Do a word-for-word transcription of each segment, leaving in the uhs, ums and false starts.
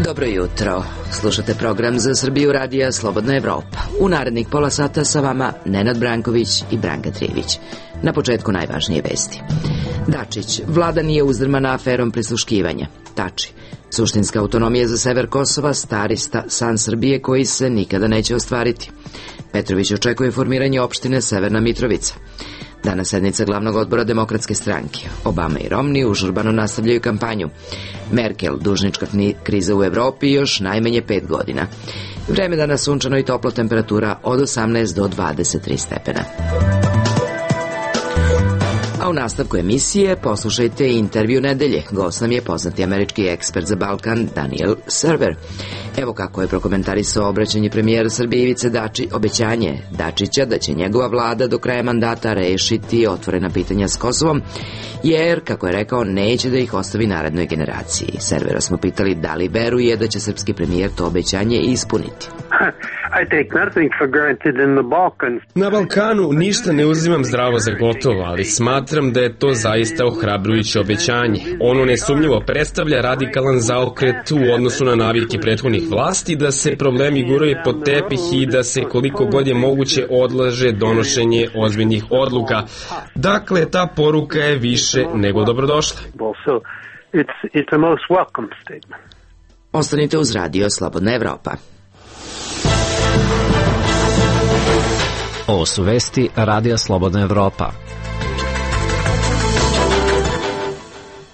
Dobro jutro. Slušate program Za Srbiju radija Slobodna Evropa. U narednih pola sata sa vama Nenad Branković i Branka Trivić. Na početku najvažnije vesti. Dačić, vlada nije uzdrmana aferom prisluškivanja. Tači, suštinska autonomija za sever Kosova, stari sta, san Srbije koji se nikada neće ostvariti. Petrović očekuje formiranje opštine Severna Mitrovica. Danas sednica glavnog odbora Demokratske stranke. Obama i Romney užurbano nastavljaju kampanju. Merkel, dužnička kriza u Evropi još najmanje pet godina. Vreme danas sunčano i toplo, temperatura od osamnaest do dvadeset tri stepena. A u nastavku emisije poslušajte intervju nedelje. Gost nam je poznati američki ekspert za Balkan Daniel Server. Evo kako je prokomentarisao obraćanje premijera Srbije Ivice Dači, obećanje Dačića da će njegova vlada do kraja mandata rešiti otvorena pitanja s Kosovom, jer, kako je rekao, neće da ih ostavi narednoj generaciji. Servera smo pitali da li veruje da će srpski premijer to obećanje ispuniti. Na Balkanu ništa ne uzimam zdravo za gotovo, ali smatram da je to zaista ohrabrujuće obećanje. Ono nesumnjivo predstavlja radikalan zaokret u odnosu na navike prethodnih vlasti, da se problemi guraju pod tepih i da se koliko god je moguće odlaže donošenje ozbiljnih odluka. Dakle, ta poruka je više nego dobrodošla. Ostanite uz radio Slobodna Evropa. Ovo su vesti radija Slobodna Evropa.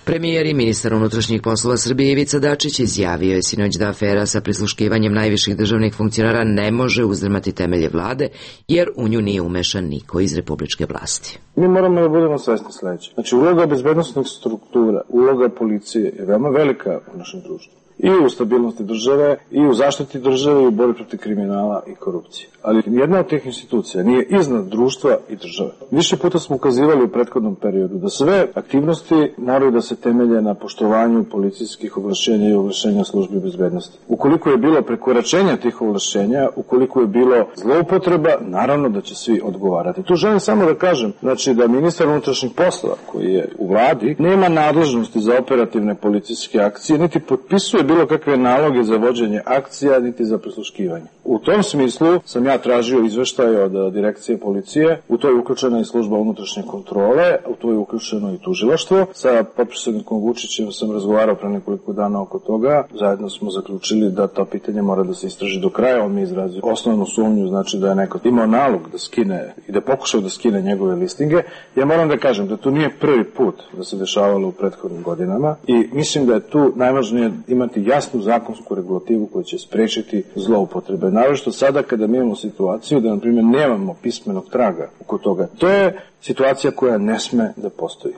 Premijer i ministar unutrašnjih poslova Srbije Ivica Dačić izjavio je sinoć da afera sa prisluškivanjem najviših državnih funkcionara ne može uzdrmati temelje vlade, jer u nju nije umešan niko iz republičke vlasti. Mi moramo da budemo svesni sledeće. Znači, uloga bezbednosnih struktura, uloga policije je veoma velika u našem društvu. I u stabilnosti države, i u zaštiti države, i u borbi protiv kriminala i korupcije. Ali jedna od tih institucija nije iznad društva i države. Više puta smo ukazivali u prethodnom periodu da sve aktivnosti moraju da se temelje na poštovanju policijskih ovlašćenja i ovlašćenja službi bezbednosti. Ukoliko je bilo prekoračenja tih ovlašćenja, ukoliko je bilo zloupotreba, naravno da će svi odgovarati. Tu želim samo da kažem, znači da ministar unutrašnjih poslova, koji je u vladi, nema nadležnosti za operativne policijske akcije, niti potpisuje bilo kakve naloge za vođenje akcija, niti za prisluškivanje. U tom smislu sam ja tražio izveštaj od direkcije policije, u to je uključena i služba unutrašnje kontrole, u to je uključeno i tužilaštvo. Sa potpredsednikom Vučićem sam razgovarao pre nekoliko dana oko toga, zajedno smo zaključili da to pitanje mora da se istraži do kraja, on mi izrazio osnovnu sumnju, znači da je neko imao nalog da skine i da pokušao da skine njegove listinge. Ja moram da kažem da to nije prvi put da se dešavalo u prethodnim godinama i mislim da je tu najvažnije imati jasnu zakonsku regulativu koja će sprečiti zloupotrebe. Naravno sada kada mi imamo situaciju da, na primjer, nemamo pismenog traga oko toga. To je situacija koja ne sme da postoji.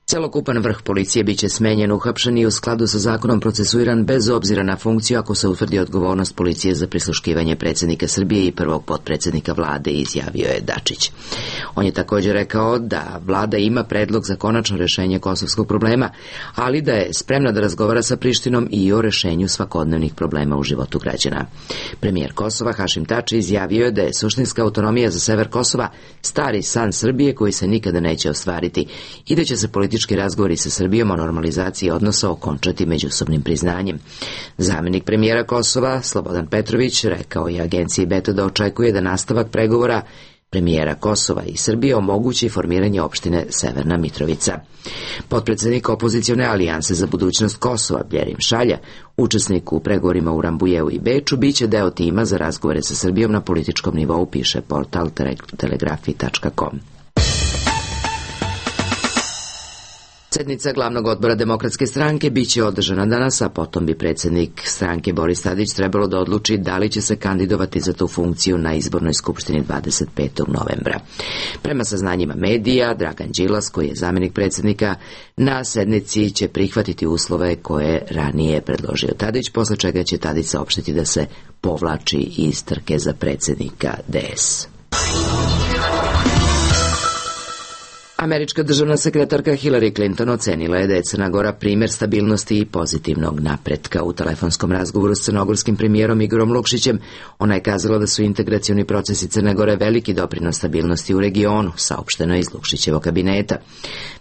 Celokupan vrh policije biće smenjen, uhapšen i u skladu sa zakonom procesuiran bez obzira na funkciju ako se utvrdi odgovornost policije za prisluškivanje predsjednika Srbije i prvog potpredsjednika vlade, izjavio je Dačić. On je također rekao da vlada ima predlog za konačno rešenje kosovskog problema, ali da je spremna da razgovara sa Prištinom i o rešenju svakodnevnih problema u životu građana. Premijer Kosova Hašim Tači izjavio je da je suštinska autonomija za sever Kosova stari san Srbije koji se nikada neće ostvariti i da će se politički razgovori sa Srbijom o normalizaciji odnosa okončati međusobnim priznanjem. Zamenik premijera Kosova, Slobodan Petrović, rekao je agenciji Beta da očekuje da nastavak pregovora premijera Kosova i Srbije omogući formiranje opštine Severna Mitrovica. Potpredsednik opozicione alijanse za budućnost Kosova, Bjerim Šalja, učesnik u pregovorima u Rambujeu i Beču, biće deo tima za razgovore sa Srbijom na političkom nivou, piše portal telegrafi tačka com. Sednica glavnog odbora Demokratske stranke biće održana danas, a potom bi predsjednik stranke Boris Tadić trebalo da odluči da li će se kandidovati za tu funkciju na izbornoj skupštini dvadeset petog novembra. Prema saznanjima medija, Dragan Đilas, koji je zamjenik predsjednika, na sednici će prihvatiti uslove koje ranije predložio Tadić, posle čega će Tadić saopštiti da se povlači iz trke za predsjednika D S. Američka državna sekretarka Hillary Clinton ocenila je da je Crna Gora primjer stabilnosti i pozitivnog napretka. U telefonskom razgovoru s crnogorskim premijerom Igorom Lukšićem ona je kazala da su integracioni procesi Crne Gore veliki doprinos stabilnosti u regionu, saopšteno iz Lukšićevog kabineta.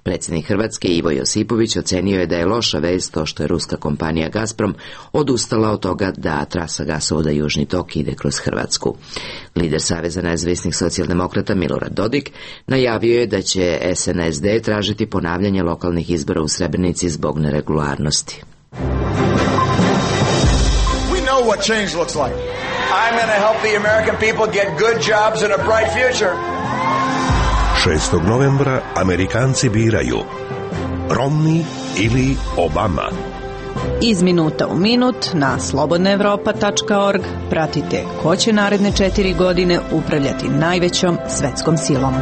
Predsjednik Hrvatske Ivo Josipović ocenio je da je loša vest to što je ruska kompanija Gazprom odustala od toga da trasa gasovoda Južni tok ide kroz Hrvatsku. Lider Saveza nezavisnih socijaldemokrata Milorad Dodik najavio je da će S N S D tražiti ponavljanje lokalnih izbora u Srebrenici zbog neregularnosti. We know what change looks like. I'm going to help the American people get good jobs and a bright future. šestog novembra Amerikanci biraju Romney ili Obama. Iz minuta u minut na slobodna evropa tačka org pratite ko će naredne četiri godine upravljati najvećom svetskom silom.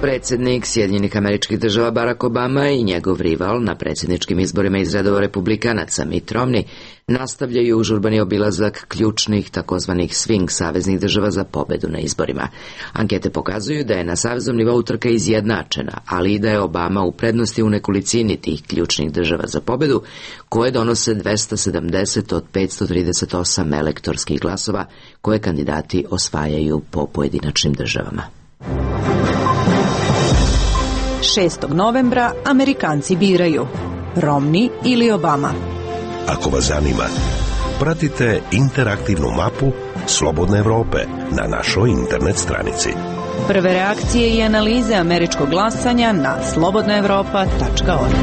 Predsjednik Sjedinjenih Američkih Država Barack Obama i njegov rival na predsjedničkim izborima iz redova republikanaca Mitt Romney nastavljaju užurbani obilazak ključnih takozvanih swing saveznih država za pobedu na izborima. Ankete pokazuju da je na saveznom nivou trka izjednačena, ali i da je Obama u prednosti u nekolicini tih ključnih država za pobedu, koje donose dvesta sedamdeset od petsto trideset osam elektorskih glasova koje kandidati osvajaju po pojedinačnim državama. šestog novembra Amerikanci biraju Romney ili Obama. Ako vas zanima, pratite interaktivnu mapu Slobodne Evrope na našoj internet stranici. Prve reakcije i analize američkog glasanja na slobodna evropa tačka org.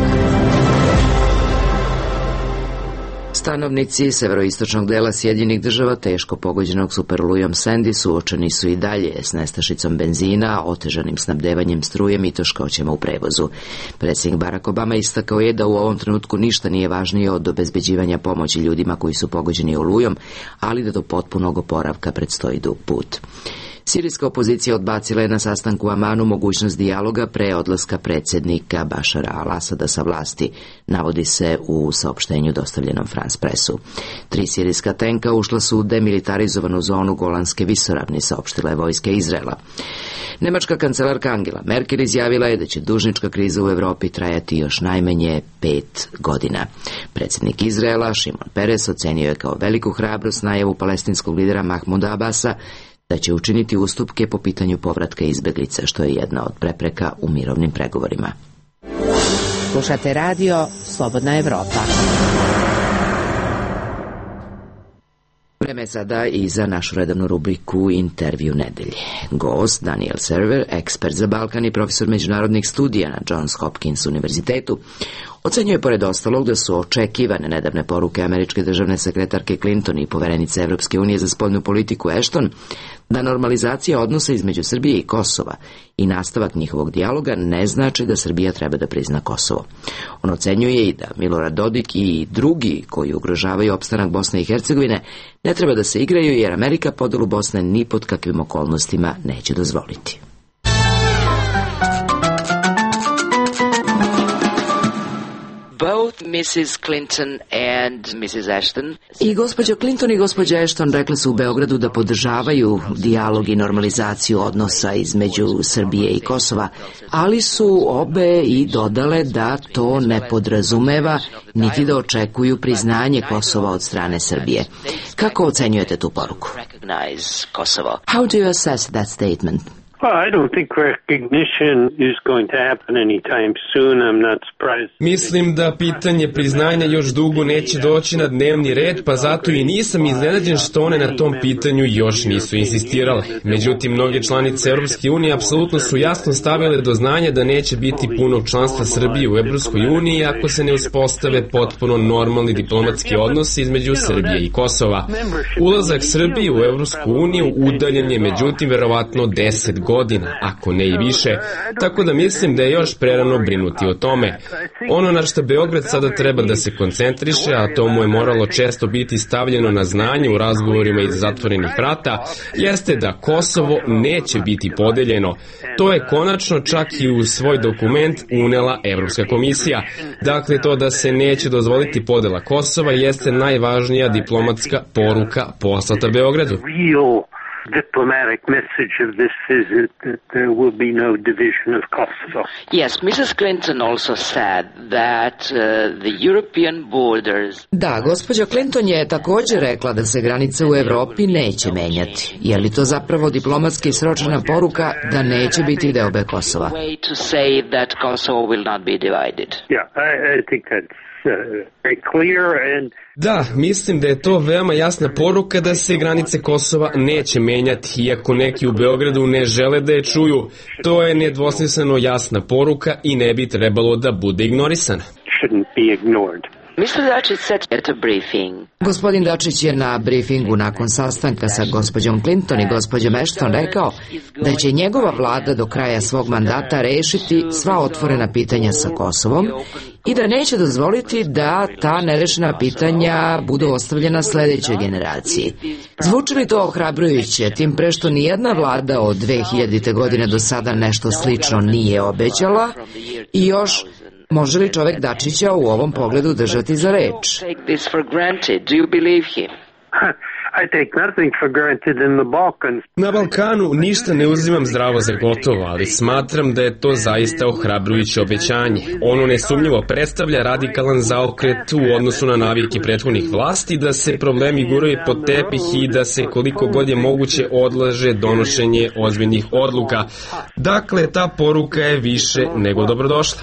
Stanovnici severoistočnog dela Sjedinjenih Država teško pogođenog superolujom Sandy suočeni su i dalje s nestašicom benzina, otežanim snabdevanjem strujem i teškoćama u prevozu. Predsjednik Barack Obama istakao je da u ovom trenutku ništa nije važnije od obezbeđivanja pomoći ljudima koji su pogođeni olujom, ali da do potpunog oporavka predstoji dug put. Sirijska opozicija odbacila je na sastanku u Amanu mogućnost dijaloga pre odlaska predsjednika Bašara al-Asada sa vlasti, navodi se u saopštenju dostavljenom France Pressu. Tri sirijska tenka ušla su u demilitarizovanu zonu Golanske visoravni, saopštila je vojska Izraela. Nemačka kancelarka Angela Merkel izjavila je da će dužnička kriza u Evropi trajati još najmanje pet godina. Predsjednik Izraela Šimon Peres ocenio je kao veliku hrabrost najavu palestinskog lidera Mahmuda Abasa da će učiniti ustupke po pitanju povratka izbjeglica, što je jedna od prepreka u mirovnim pregovorima. Slušate radio Slobodna Evropa. Vreme je sada i za našu redovnu rubriku Intervju nedelje. Gost Daniel Server, ekspert za Balkan i profesor međunarodnih studija na Johns Hopkins univerzitetu, ocenjuje pored ostalog da su očekivane nedavne poruke američke državne sekretarke Clinton i poverenice Evropske unije za spoljnu politiku Ashton da normalizacija odnosa između Srbije i Kosova i nastavak njihovog dijaloga ne znači da Srbija treba da prizna Kosovo. On ocenjuje i da Milorad Dodik i drugi koji ugrožavaju opstanak Bosne i Hercegovine ne treba da se igraju jer Amerika podelu Bosne ni pod kakvim okolnostima neće dozvoliti. Both missus Clinton and missus Ashton. I gospođa Clinton i gospođa Ashton rekle su u Beogradu da podržavaju dijalog i normalizaciju odnosa između Srbije i Kosova, ali su obe i dodale da to ne podrazumeva niti da očekuju priznanje Kosova od strane Srbije. Kako ocenjujete tu poruku? How do you assess that statement? Well, I don't think recognition is going to happen anytime soon. I'm not surprised. Mislim da pitanje priznanja još dugo neće doći na dnevni red, pa zato i nisam iznenađen što one na tom pitanju još nisu insistirale. Međutim, mnoge članice Evropske unije apsolutno su jasno stavile do znanja da neće biti punog članstva Srbije u Evropskoj uniji ako se ne uspostave potpuno normalni diplomatski odnosi između Srbije i Kosova. Ulazak Srbije u Evropsku uniju udaljen je međutim verovatno deset godina. godina, ako ne i više, tako da mislim da je još prerano brinuti o tome. Ono na što Beograd sada treba da se koncentriše, a to mu je moralo često biti stavljeno na znanje u razgovorima iz zatvorenih vrata, jeste da Kosovo neće biti podeljeno. To je konačno čak i u svoj dokument unela Evropska komisija. Dakle, to da se neće dozvoliti podela Kosova jeste najvažnija diplomatska poruka poslata Beogradu. diplomatic message of this visit that there will be no division of Kosovo. Yes, Missus Clinton also said that uh, the European borders... Da, gospođa Clinton je također rekla da se granice u Evropi neće menjati. Je li to zapravo diplomatski sročena poruka da neće biti deobe Kosova? To say that Kosovo will not be divided. Yeah, I, I think that's uh, very clear and Da, mislim da je to veoma jasna poruka da se granice Kosova neće menjati, iako neki u Beogradu ne žele da je čuju. To je nedvosmisleno jasna poruka i ne bi trebalo da bude ignorisana. mister Dačić said at a briefing. Gospodin Dačić je na briefingu nakon sastanka sa gospođom Clinton i gospođom Ashton rekao da će njegova vlada do kraja svog mandata rešiti sva otvorena pitanja sa Kosovom i da neće dozvoliti da ta nerešena pitanja budu ostavljena sledećoj generaciji. Zvuči li to ohrabrujuće, tim pre što nijedna vlada od dve hiljadite godine do sada nešto slično nije obećala i još može li čovek Dačića u ovom pogledu držati za reč? Na Balkanu ništa ne uzimam zdravo za gotovo, ali smatram da je to zaista ohrabrujuće obećanje. Ono nesumnjivo predstavlja radikalan zaokret u odnosu na navike prethodnih vlasti da se problemi guraju pod tepih i da se koliko god je moguće odlaže donošenje ozbiljnih odluka. Dakle, ta poruka je više nego dobrodošla.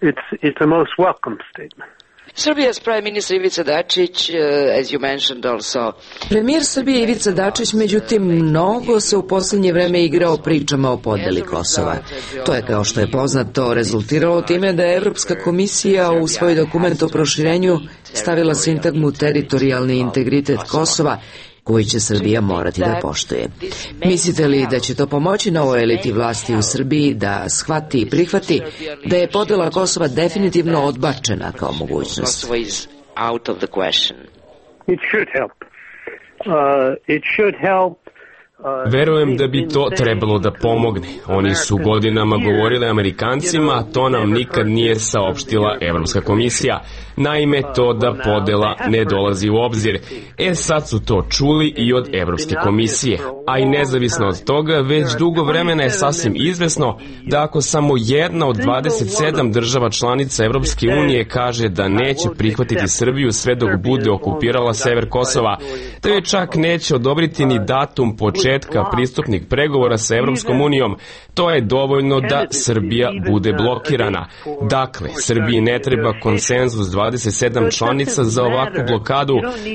It's, it's a most welcome statement. Serbia's Prime Minister Ivica Dačić, uh, as you mentioned also. Premijer Srbije Ivica Dačić, međutim, mnogo se u posljednje vreme igrao pričama o podeli Kosova. To je, kao što je poznato, rezultiralo time da je Evropska komisija u svoj dokument o proširenju stavila sintagmu teritorijalni integritet Kosova, koji će Srbija morati da poštuje. Mislite li da će to pomoći novoj eliti vlasti u Srbiji da shvati i prihvati da je podela Kosova definitivno odbačena kao mogućnost? It should help. Uh, it should help. Verujem da bi to trebalo da pomogne. Oni su godinama govorili Amerikancima, a to nam nikad nije saopštila Evropska komisija. Naime, to da podela ne dolazi u obzir. E sad su to čuli i od Evropske komisije. A i nezavisno od toga, već dugo vremena je sasvim izvesno da ako samo jedna od dvadeset sedam država članica Evropske unije kaže da neće prihvatiti Srbiju sve dok bude okupirala sever Kosova, da je čak neće odobriti ni datum početka pristupnih pregovora sa Evropskom unijom, to je dovoljno da Srbija bude blokirana. Dakle, Srbiji ne treba konsenzus dvadeset sedam članica za ovakvu blokadu,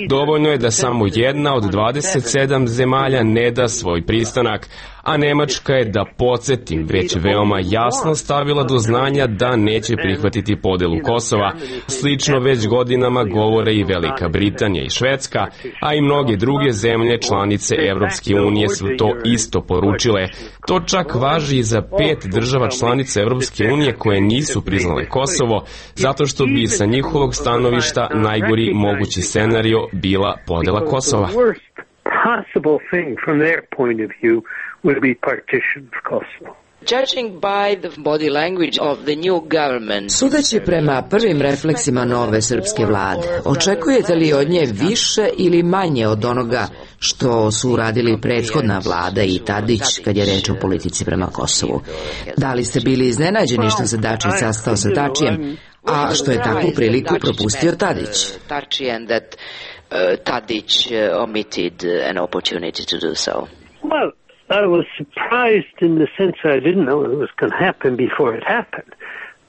dovoljno je da samo jedna od dvadeset sedam zemalja ne da svoj pristanak, a Nemačka je, da podsjetim, već veoma jasno stavila do znanja da neće prihvatiti podelu Kosova. Slično već godinama govore i Velika Britanija i Švedska, a i mnoge druge zemlje članice Evropske unije su to isto poručile. To čak važi i za pet država članica Evropske unije koje nisu priznale Kosovo, zato što bi sa njihovog stanovišta najgori mogući scenario bila podela Kosova. Possible thing from their point of view would be partition of Kosovo. Judging by the body language of the new government. Sudeći prema prvim refleksima nove srpske vlade, očekujete li od nje više ili manje od onoga što su uradili prethodna vlada i Tadić kad je reč o politici prema Kosovu? Da li ste bili iznenađeni što se Dačić sastao sa Tačijem, a što je takvu priliku propustio Tadić? Uh, Tadić uh, omitted an opportunity to do so. Well, I was surprised in the sense I didn't know it was going to happen before it happened.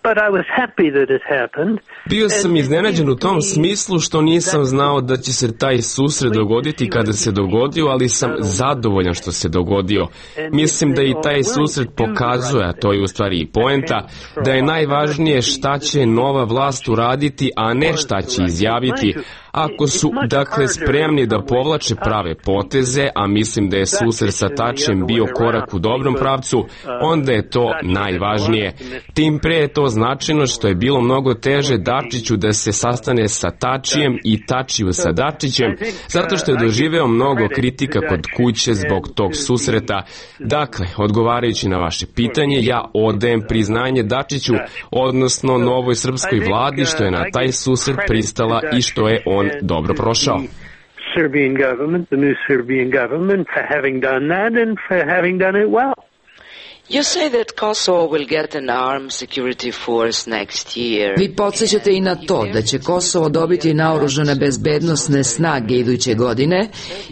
But I was happy that it happened. Bio sam iznenađen u tom smislu što nisam znao da će se taj susret dogoditi kada se dogodio, ali sam zadovoljan što se dogodio. Mislim da i taj susret pokazuje, a to je u stvari i poenta, da je najvažnije šta će nova vlast uraditi, a ne šta će izjaviti. Ako su, dakle, spremni da povlače prave poteze, a mislim da je susret sa Tačijem bio korak u dobrom pravcu, onda je to najvažnije. Tim pre je to značajno što je bilo mnogo teže Dačiću da se sastane sa Tačijem i Tačiju sa Dačićem, zato što je doživeo mnogo kritika kod kuće zbog tog susreta. Dakle, odgovarajući na vaše pitanje, ja odajem priznanje Dačiću, odnosno novoj srpskoj vladi, što je na taj susret pristala i što je on dobro prošao. Serbian government, the new Serbian government, for having done that and for having done it well. You say that Kosovo will get an armed security force next year. Vi podsjećate i na to da će Kosovo dobiti naoružane bezbednosne snage iduće godine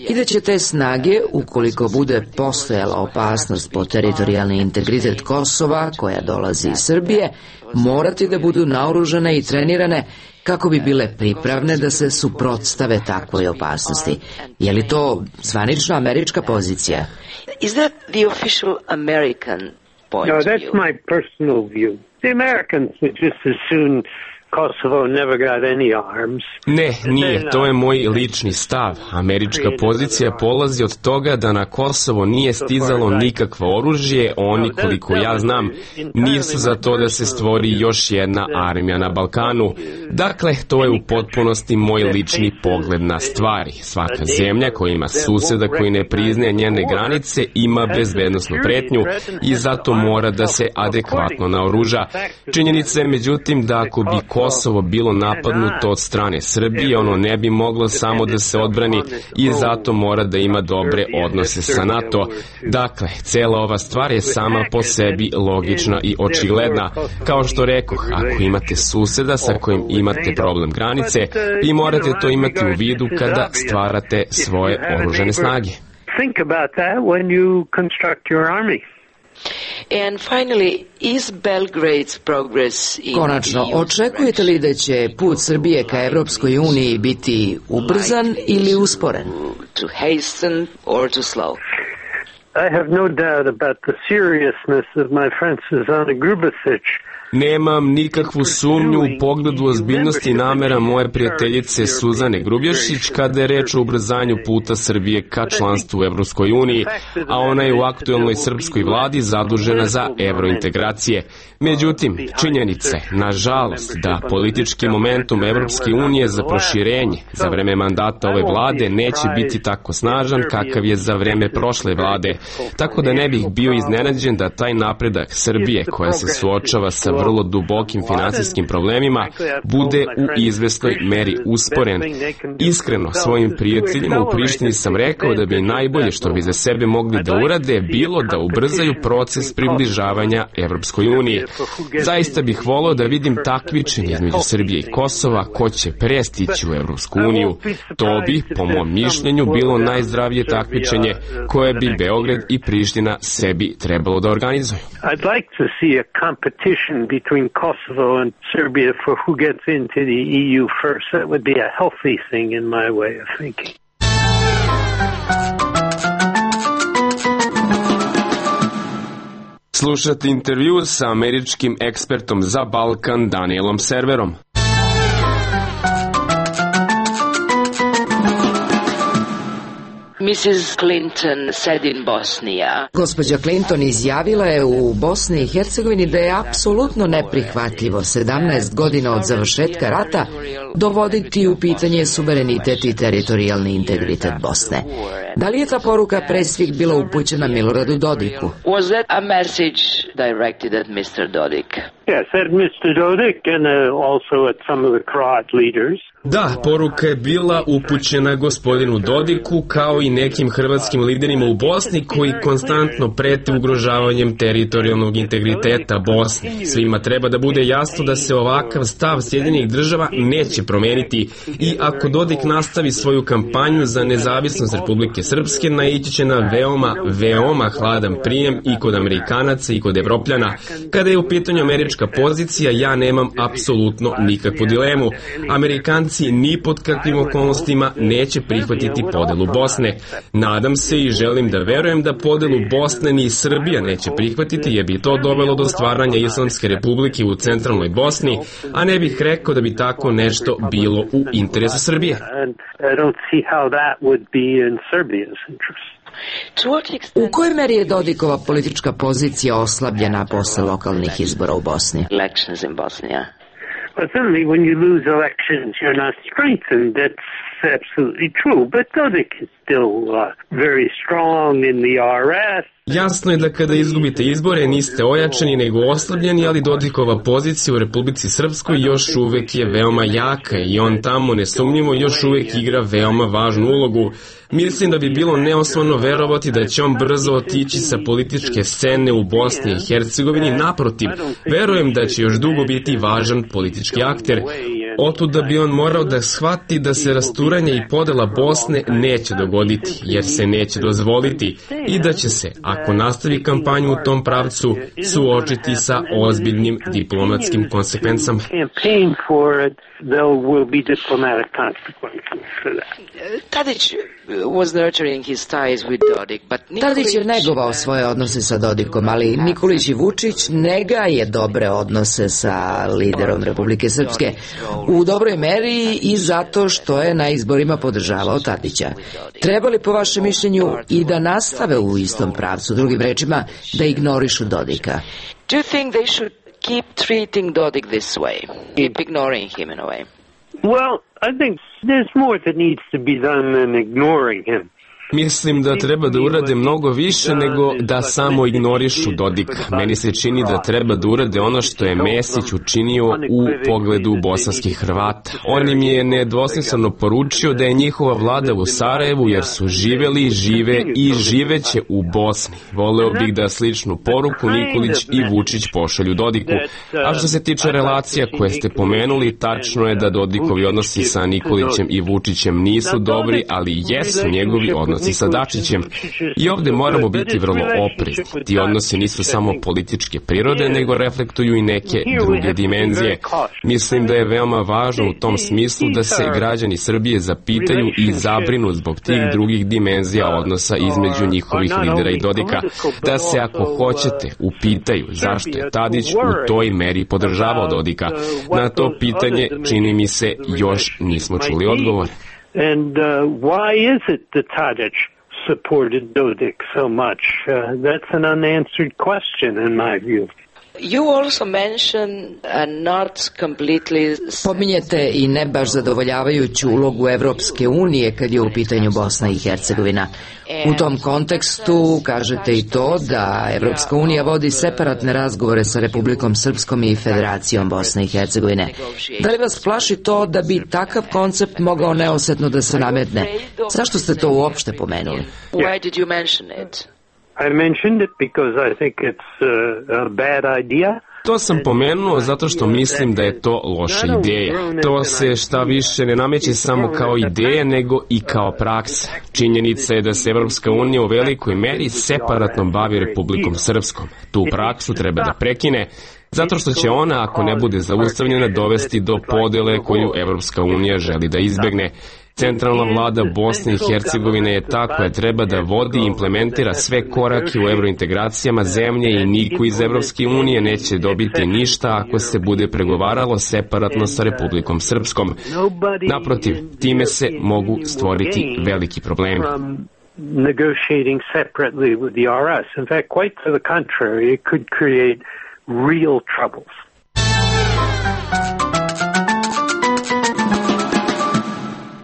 i da će te snage, ukoliko bude postojala opasnost po teritorijalni integritet Kosova koja dolazi iz Srbije, morati da budu naoružane i trenirane kako bi bile pripravne da se suprotstave takvoj opasnosti. Je li to zvanična američka pozicija? Is that the official American point No, of that's view? my personal view. The Americans would just as soon Kosovo never got any arms. Ne, nije, to je moj lični stav. Američka pozicija polazi od toga da na Kosovo nije stizalo nikakvo oružje, oni, koliko ja znam, nisu za to da se stvori još jedna armija na Balkanu. Dakle, to je u potpunosti moj lični pogled na stvari. Svaka zemlja koja ima suseda koji ne priznaje njene granice ima bezbednosnu pretnju i zato mora da se adekvatno naoruža. Činjenica je međutim da ako bi Kosovo bilo napadnuto od strane Srbije, ono ne bi moglo samo da se odbrani i zato mora da ima dobre odnose sa NATO. Dakle, cela ova stvar je sama po sebi logična i očigledna. Kao što rekoh, ako imate suseda sa kojim imate problem granice, vi morate to imati u vidu kada stvarate svoje oružane snage. Think about that when you construct your army. And finally, is Belgrade's progress in Konačno, očekujete li da će put Srbije ka Evropskoj uniji biti ubrzan ili usporen? To hasten or to slow? I have no doubt about the seriousness of my friend Susanna Grubasic. Nemam nikakvu sumnju u pogledu ozbiljnosti i namera moje prijateljice Suzane Grubješić kada je reč o ubrzanju puta Srbije ka članstvu u Evropskoj uniji, a ona je u aktuelnoj srpskoj vladi zadužena za evrointegracije. Međutim, činjenice, nažalost, da politički momentum Evropske unije za proširenje za vreme mandata ove vlade neće biti tako snažan kakav je za vreme prošle vlade, tako da ne bih bio iznenađen da taj napredak Srbije koja se suočava sa vrlo dubokim finansijskim problemima bude u izvesnoj meri usporen. Iskreno, svojim prijateljima u Prištini sam rekao da bi najbolje što bi za sebe mogli da urade bilo da ubrzaju proces približavanja Evropskoj uniji. Zaista bih volao da vidim takmičenje između Srbije i Kosova ko će prestići u Evropsku uniju. To bi, po mom mišljenju, bilo najzdravije takmičenje koje bi Beograd i Priština sebi trebalo da organizuju. I'd like to see a competition between Kosovo and Serbia for who gets into the E U first. That would be a healthy thing in my way of thinking. Slušate intervju sa američkim ekspertom za Balkan Danielom Serverom. Missus Clinton said in Bosnia. Gospođa Clinton izjavila je u Bosni i Hercegovini da je apsolutno neprihvatljivo sedamnaest godina od završetka rata dovoditi u pitanje suverenitet i teritorijalni integritet Bosne. Da li je ta poruka pre svih bila upućena Miloradu Dodiku? Was that a message directed at mister Dodik? Yes, at mister Dodik and uh, also at some of the Croat leaders. Da, poruka je bila upućena gospodinu Dodiku kao i nekim hrvatskim liderima u Bosni koji konstantno prete ugrožavanjem teritorijalnog integriteta Bosne. Svima treba da bude jasno da se ovakav stav Sjedinjenih država neće promeniti i ako Dodik nastavi svoju kampanju za nezavisnost Republike Srpske, naići će na veoma, veoma hladan prijem i kod Amerikanaca i kod Evropljana. Kada je u pitanju američka pozicija, ja nemam apsolutno nikakvu dilemu. Amerikanci ni pod kakvim okolnostima neće prihvatiti podelu Bosne. Nadam se i želim da verujem da podelu Bosne ni Srbija neće prihvatiti, jer bi to dovelo do stvaranja Islamske republike u centralnoj Bosni, a ne bih rekao da bi tako nešto bilo u interesu Srbije. U kojoj meri je Dodikova politička pozicija oslabljena posle lokalnih izbora u Bosni? Elections in Bosnia. Well, certainly when you lose elections, you're not strengthened. That's absolutely true. But Dodik is still uh, very strong in the R S. Jasno je da kada izgubite izbore niste ojačani nego oslabljeni, ali Dodikova pozicija u Republici Srpskoj još uvek je veoma jaka i on tamo nesumnjivo još uvek igra veoma važnu ulogu. Mislim da bi bilo neosnovano verovati da će on brzo otići sa političke scene u Bosni i Hercegovini. Naprotiv, verujem da će još dugo biti važan politički akter. Otud da bi on morao da shvati da se rasturanje i podela Bosne neće dogoditi, jer se neće dozvoliti, i da će se, ako nastavi kampanju u tom pravcu, suočiti sa ozbiljnim diplomatskim konsekvencama. Tadić was nurturing his ties with Dodik, but Tadić je negovao svoje odnose sa Dodikom, ali Nikolić i Vučić ne gaje dobre odnose sa liderom Republike Srpske u dobroj meri i zato što je na izborima podržavao Tadića. Treba li po vašem mišljenju i da nastave u istom pravcu, drugim rečima da ignorišu Dodika? Do you think they should keep treating Dodik this way, keep ignoring him in a way? Well, I think there's more that needs to be done than ignoring him. Mislim da treba da urade mnogo više nego da samo ignorišu Dodika. Meni se čini da treba da urade ono što je Mesić učinio u pogledu bosanskih Hrvata. On im je nedvosmisleno poručio da je njihova vlada u Sarajevu jer su živeli, žive i živeće u Bosni. Voleo bih da sličnu poruku Nikolić i Vučić pošalju Dodiku. A što se tiče relacija koje ste pomenuli, tačno je da Dodikovi odnosi sa Nikolićem i Vučićem nisu dobri, ali jesu njegovi odnosi sa Dačićem. I ovde moramo biti vrlo oprezni. Ti odnosi nisu samo političke prirode, nego reflektuju i neke druge dimenzije. Mislim da je veoma važno u tom smislu da se građani Srbije zapitaju i zabrinu zbog tih drugih dimenzija odnosa između njihovih lidera i Dodika. Da se, ako hoćete, upitaju zašto je Tadić u toj meri podržavao Dodika. Na to pitanje, čini mi se, još nismo čuli odgovor. And uh, why is it that Tadić supported Dodik so much? Uh, that's an unanswered question in my view. You also mention a not completely... Pominjete i ne baš zadovoljavajuću ulogu Evropske unije kad je u pitanju Bosna i Hercegovina. U tom kontekstu kažete i to da Evropska unija vodi separatne razgovore sa Republikom Srpskom i Federacijom Bosne i Hercegovine. Da li vas plaši to da bi takav koncept mogao neosetno da se nametne? Zašto ste to uopšte pomenuli? Why did you mention it? I mentioned it because I think it's a, a bad idea. To sam pomenuo zato što mislim da je to loša ideja. To se šta više ne nameće samo kao ideja, nego i kao praksa. Činjenica je da se Evropska unija u velikoj meri separatno bavi Republikom Srpskom. Tu praksu treba da prekine, zato što će ona, ako ne bude zaustavljena, dovesti do podele koju Evropska unija želi da izbegne. Centralna vlada Bosne i Hercegovine je ta koja treba da vodi i implementira sve korake u evrointegracijama zemlje i niko iz Evropske unije neće dobiti ništa ako se bude pregovaralo separatno sa Republikom Srpskom. Naprotiv, time se mogu stvoriti veliki problemi. Negotiating separately with the R S. In fact, quite to the contrary, it could create real troubles.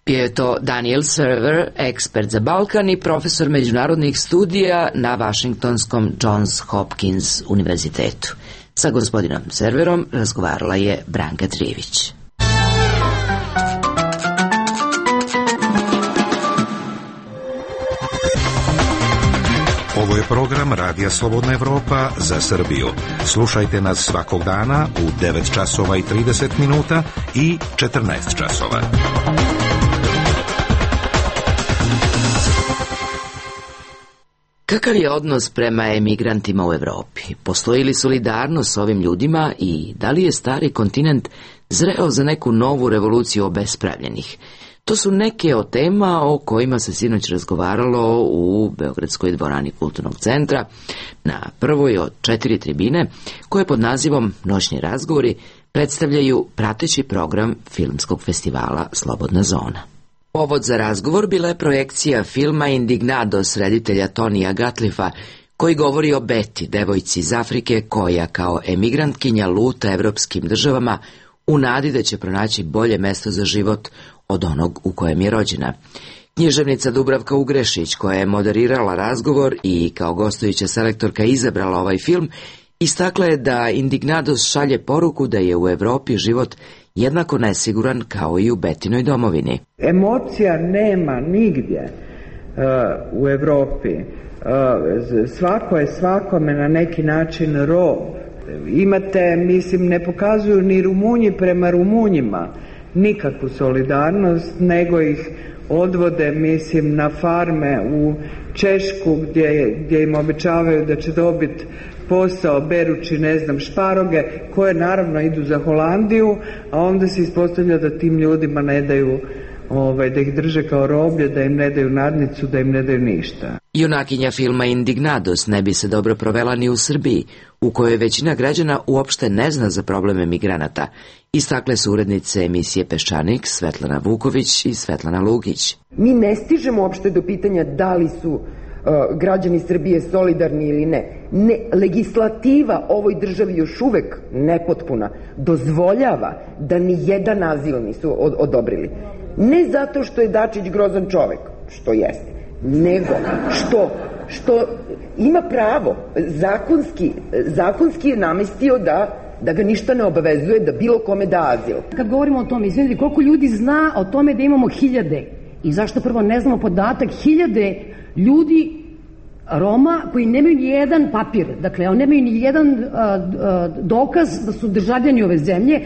Bio je to Daniel Server, ekspert za Balkan i profesor međunarodnih studija na Washingtonskom Johns Hopkins univerzitetu. Sa gospodinom Serverom razgovarala je Branka Trijević. Ovo je program Radija Slobodna Evropa za Srbiju. Slušajte nas svakog dana u devet časova i trideset minuta i četrnaest časova. Kakav je odnos prema emigrantima u Evropi? Postoji li solidarnost s ovim ljudima i da li je stari kontinent zreo za neku novu revoluciju obespravljenih? To su neke od tema o kojima se sinoć razgovaralo u Beogradskoj dvorani Kulturnog centra na prvoj od četiri tribine koje pod nazivom Noćni razgovori predstavljaju prateći program filmskog festivala Slobodna zona. Povod za razgovor bila je projekcija filma Indignados reditelja Tonija Gatlifa, koji govori o Beti, devojci iz Afrike koja kao emigrantkinja luta evropskim državama u nadi da će pronaći bolje mesto za život od onog u kojem je rođena. Književnica Dubravka Ugrešić, koja je moderirala razgovor i kao gostujuća selektorka izabrala ovaj film, istakla je da Indignados šalje poruku da je u Evropi život jednako nesiguran kao i u Betinoj domovini. Emocija nema nigdje uh, u Evropi. Uh, svako je svakome na neki način rob. Imate, mislim, ne pokazuju ni Rumunji prema Rumunjima nikakvu solidarnost, nego ih odvode, mislim, na farme u Češku gdje, gdje im obećavaju da će dobiti posao berući, ne znam, šparoge, koje naravno idu za Holandiju, a onda se ispostavlja da tim ljudima ne daju, ovaj, da ih drže kao roblje, da im ne daju nadnicu, da im ne daju ništa. Junakinja filma Indignados ne bi se dobro provela ni u Srbiji, u kojoj većina građana uopšte ne zna za probleme migranata, istakle su urednice emisije Peščanik Svetlana Vuković i Svetlana Lukić. Mi ne stižemo uopšte do pitanja da li su uh, građani Srbije solidarni ili ne. Ne, legislativa ovoj državi još uvek nepotpuna dozvoljava da ni jedan azil nisu od, odobrili. Ne zato što je Dačić grozan čovek, što jeste, nego što, što ima pravo, zakonski, zakonski je namestio da, da ga ništa ne obavezuje da bilo kome da azil. Kad govorimo o tome, izvinite, koliko ljudi zna o tome da imamo hiljade i zašto prvo ne znamo podatak, hiljade ljudi Roma koji nemaju ni jedan papir, dakle, oni nemaju ni jedan uh, uh, dokaz da su državljani ove zemlje.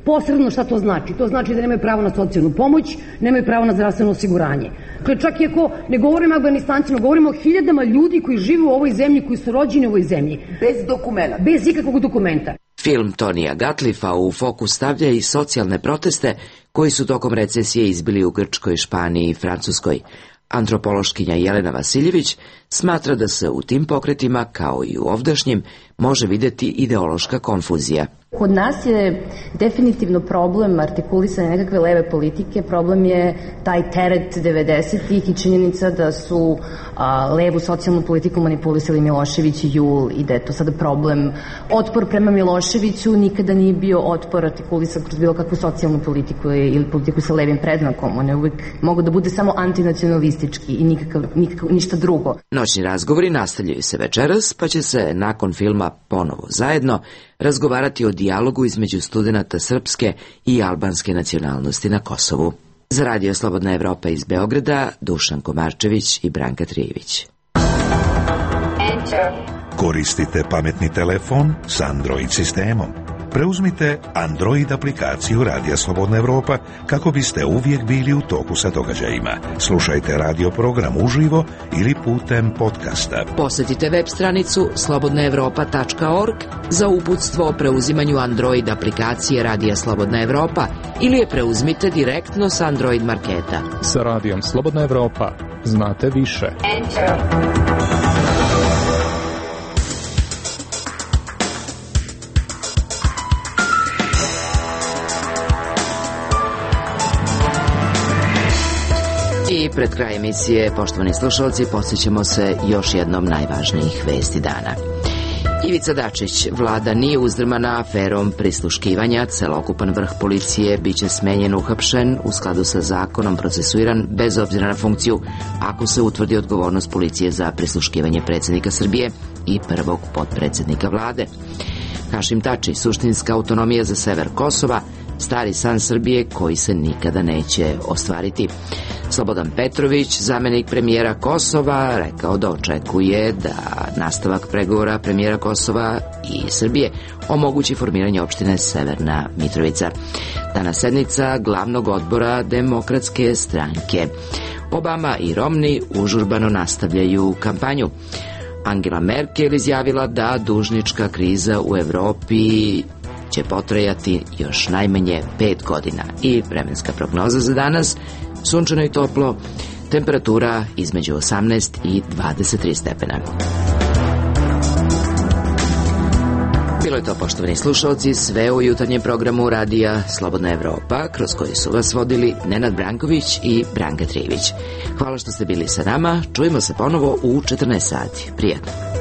Posredno šta to znači? To znači da nemaju pravo na socijalnu pomoć, nemaju pravo na zdravstveno osiguranje. Dakle, čak i ako ne govorimo o Afganistancima, govorimo o hiljadama ljudi koji žive u ovoj zemlji, koji su rođeni u ovoj zemlji. Bez dokumenta. Bez ikakvog dokumenta. Film Tonija Gatlifa u fokus stavlja i socijalne proteste koji su tokom recesije izbili u Grčkoj, Španiji i Francuskoj. Antropološkinja Jelena Vasiljević smatra da se u tim pokretima, kao i u ovdašnjim, može videti ideološka konfuzija. Kod nas je definitivno problem artikulisanja nekakve leve politike, problem je taj teret devedesetih i činjenica da su a, levu socijalnu politiku manipulisali Milošević i Jul i da je to sada problem. Otpor prema Miloševiću nikada nije bio otpor artikulisan kroz bilo kakvu socijalnu politiku ili politiku sa levim predznakom. On je uvijek mogu da bude samo antinacionalistički i nikakav, nikakav, ništa drugo. Noćni razgovori nastavljaju se večeras, pa će se nakon filma ponovo zajedno razgovarati o dijalogu između studenata srpske i albanske nacionalnosti na Kosovu. Za Radio Slobodna Evropa iz Beograda, Dušan Komarčević i Branka Trijević. Koristite pametni telefon s Android sistemom. Preuzmite Android aplikaciju Radija Slobodna Evropa kako biste uvijek bili u toku sa događajima. Slušajte radio program uživo ili putem podcasta. Posjetite web stranicu slobodna evropa tačka org za uputstvo o preuzimanju Android aplikacije Radija Slobodna Evropa ili je preuzmite direktno s Android marketa. Sa Radijom Slobodna Evropa znate više. Enter. I pred kraj emisije, poštovani slušalci, podsjećamo se još jednom najvažnijih vesti dana. Ivica Dačić, vlada nije uzdrmana aferom prisluškivanja, celokupan vrh policije biće smenjen, uhapšen, u skladu sa zakonom procesuiran, bez obzira na funkciju, ako se utvrdi odgovornost policije za prisluškivanje predsjednika Srbije i prvog potpredsjednika vlade. Hašim Tači, suštinska autonomija za sever Kosova, stari san Srbije koji se nikada neće ostvariti. Slobodan Petrović, zamenik premijera Kosova, rekao da očekuje da nastavak pregovora premijera Kosova i Srbije omogući formiranje opštine Severna Mitrovica. Danas sednica glavnog odbora Demokratske stranke. Obama i Romney užurbano nastavljaju kampanju. Angela Merkel izjavila da dužnička kriza u Evropi će potrajati još najmanje pet godina. I vremenska prognoza za danas, sunčano i toplo, temperatura između osamnaest i dvadeset tri stepena. Bilo je to, poštovani slušalci, sve u jutarnjem programu Radija Slobodna Evropa, kroz koji su vas vodili Nenad Branković i Branka Trijević. Hvala što ste bili sa nama, čujemo se ponovo u četrnaest sati. Prijatno.